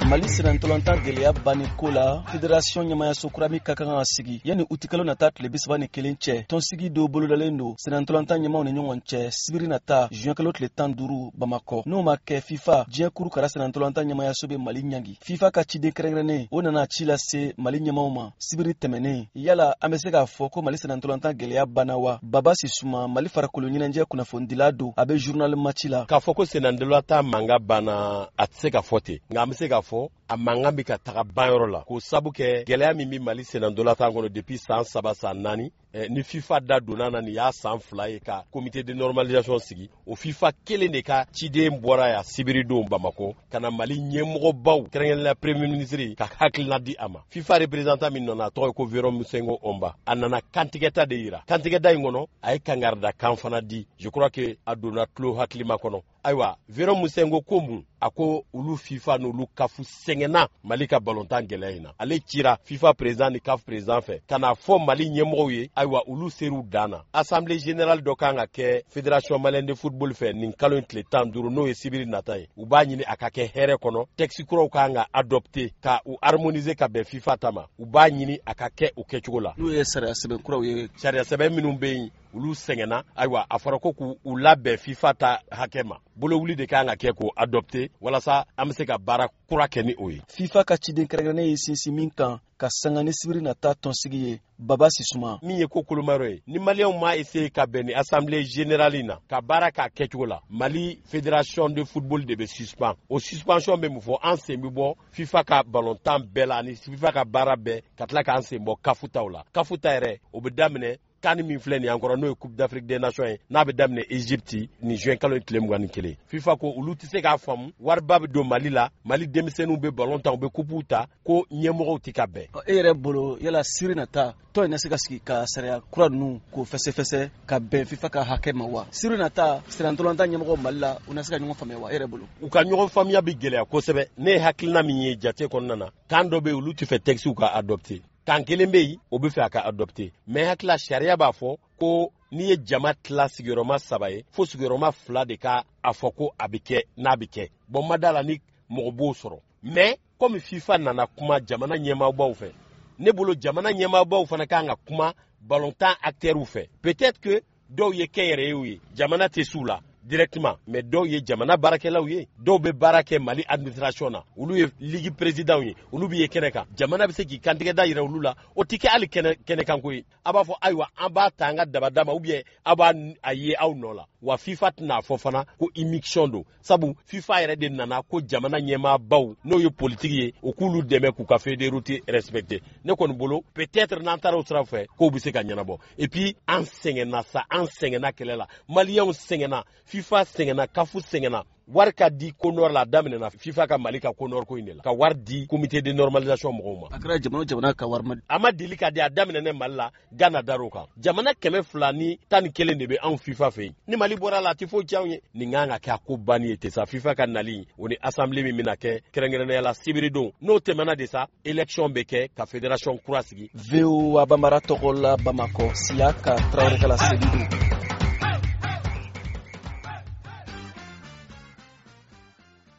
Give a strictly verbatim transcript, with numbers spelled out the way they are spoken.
Mali sennantolatan gɛlɛya banni ko la, fédération ɲɛmayaso kura min ka kan ka sigi yanni utikalo nata tile bi saba ni kelen cɛ, tɔnsigi dɔw bolodalen don sennantolatan ɲɛmaw ni ɲɔgɔn cɛ sibiri nata, juin kalo tile tan duuru, Bamakɔ. N'o ma kɛ, FIFA, diɲɛ kuru kara sennantolatan ɲɛmayaso bɛ Mali ɲangi. FIFA ka ciden kɛrɛnkɛrɛnnen, o nana ci lase Mali ɲɛmaw ma sibiri tɛmɛnen. Yala an bɛ se k'a fɔ ko Mali sennantolatan gɛlɛya banna wa? Baba Sisuma, Mali farikolo ɲɛnajɛ kunnafonidila don, a bɛ Journal Match la. K'a fɔ ko sennantolatan mankan banna, a tɛ se ka fɔ ten, nka an bɛ se k'a fɔ a mankan bɛ ka taga banyɔrɔ la, k'o sabu kɛ gɛlɛya min bɛ Mali sennantolatan kɔnɔ depuis san saba, san naani eh, ni FIFA da donna na. Nin y'a san fila ye ka comité de normalisation sigi. O FIFA kelen de ka ciden bɔra yan sibiridon Bamako ka na Mali ɲɛmɔgɔbaw, kɛrɛnkɛrɛnnenya premier ministre, ka hakilina di a ma. FIFA représentant min nana, a tɔgɔ ye ko Veron Musengo Omba. A nana kantigɛta de yira. Kantigɛda in kɔnɔ, a ye kangarida kan fana di. Je crois que a donna tulo hakilima kɔnɔ. Ayiwa, Veron Musengo ko mun? A ko olu FIFA n'olu CAF sɛgɛnna Mali ka balontan gɛlɛya in na. Ale cira FIFA président ni CAF président fɛ ka n'a fɔ Mali ɲɛmɔgɔw ye. Ayiwa, olu ser'u dan na. Assemblée générale dɔ kan ka kɛ Fédération malienne de football fɛ nin kalo in tile tan duuru, n'o ye sibiri nata ye. U b'a ɲini a ka kɛ hɛrɛ kɔnɔ. Texte kuraw kan ka adopter ka u harmoniser ka bɛn FIFA ta ma. U b'a ɲini a ka kɛ o kɛcogo la. N'o ye sariya sɛbɛn kuraw ye. Sariya sɛbɛn minnu bɛ yen, olu sɛgɛnna. Ayiwa, a fɔra ko k'u labɛn FIFA ta hakɛ ma. Bolowuli de kan ka kɛ k'o adopter walasa an bɛ se ka baara kura kɛ ni o ye. FIFA ka ciden kɛrɛnkɛrɛnnen ye sinsin min kan ka sanga ni sibiri nata tɔnsigi ye, Baba Sisuma? Min ye ko kolomayɔrɔ ye, ni Maliyɛnw ma essayer ka bɛn ni assemblée générale in na ka baara k'a kɛcogo la, Mali fédération de football de bɛ suspend. O suspension bɛ mun fɔ? An sen bɛ bɔ FIFA ka balontan bɛɛ la ani FIFA ka baara bɛɛ, ka tila k'an sen bɔ CAF taw la. CAF ta yɛrɛ, o bɛ daminɛ CAN min filɛ nin y'an kɔrɔ, n'o ye Coupe d'Afrique des Nations ye, n'a bɛ daminɛ Egypte nin juin kalo tile mugan ni kelen. FIFA ko olu tɛ se k'a faamu, wariba bɛ don Mali la, Mali denmisɛnninw bɛ ballon ta, u bɛ coupe ta, ko ɲɛmɔgɔw tɛ ka bɛn. E yɛrɛ bolo, yala sibiri nata tɔn in na se ka sigi ka sariya kura ninnu k'o fɛsɛfɛsɛ ka bɛn FIFA ka hakɛ ma wa? Sibiri nata, sennantolatan ɲɛmɔgɔ Mali la, u na se ka ɲɔgɔn faamuya wa, e yɛrɛ bolo? U ka ɲɔgɔn faamuya bɛ gɛlɛya kosɛbɛ. Ne ye hakilina min ye jate kɔnɔna na, kan dɔ bɛ yen, olu tɛ fɛ texte ka adopter. Kan kelen bɛ yen, o bɛ fɛ a ka adopter. Mais hakilila, sariya b'a fɔ ko n'i ye jama tila sigiyɔrɔma saba ye, fo sigiyɔrɔma fila de ka a fɔ ko a bɛ kɛ n'a bɛ kɛ. Bon, ma da la ni mɔgɔ b'o sɔrɔ. Mais komi FIFA nana kuma jamana ɲɛmaabaw fɛ, ne bolo jamana ɲɛmaabaw fana kan ka kuma balontan acteurs fɛ. Peut-être que dɔw ye kɛnyɛrɛyew ye, jamana tɛ s'u la directement, mais dɔw ye jamana baarakɛlaw ye, dɔw bɛ baara kɛ Mali administration na, olu ye ligue président ye, olu bɛ ye kɛnɛ kan. Jamana bɛ se k'i kantigɛ da yira olu la. O tɛ kɛ hali kɛnɛ kɛnɛkanko ye. A b'a fɔ ayiwa, an b'a ta an ka dabada ma, ou bien a b'a a ye aw nɔ la wa. FIFA tɛna fɔ fana ko immixtion don, sabu FIFA yɛrɛ de nana ko jamana ɲɛmaabaw, n'o ye politiki ye, o k'olu dɛmɛ k'u ka feuille de route respecter. Ne kɔni bolo, peut-être n'an taara o sira fɛ, kow bɛ se ka ɲɛnabɔ. Et puis an sɛgɛnna sa, an sɛgɛnna kɛlɛ la, Maliyɛnw sɛgɛnna, FIFA sɛgɛnna, CAF sɛgɛnna. Wari ka di CONOR la, a daminɛna FIFA ka Mali ka CONOR ko in de la, ka wari di comité de normalisation mɔgɔw ma. A kɛra jamana o jamana ka wari ma. A ma deli ka di. A daminɛ Mali la, Gana dar'o kan. Jamana kɛmɛ fila ni tan ni kelen de bɛ anw FIFA fɛ yen. Ni Mali bɔra la, a tɛ foyi tiɲɛ anw ye. Nin kan ka kɛ a ko banni ye ten sa. FIFA ka nali, o ni assemblée min bɛna kɛ kɛrɛnkɛrɛnnenya la sibiridon, n'o tɛmɛna de sa, élection bɛ kɛ ka fédération kura sigi. V O A Bambara tɔgɔ la, Bamakɔ, Siyaka Tarawele ka laseli don.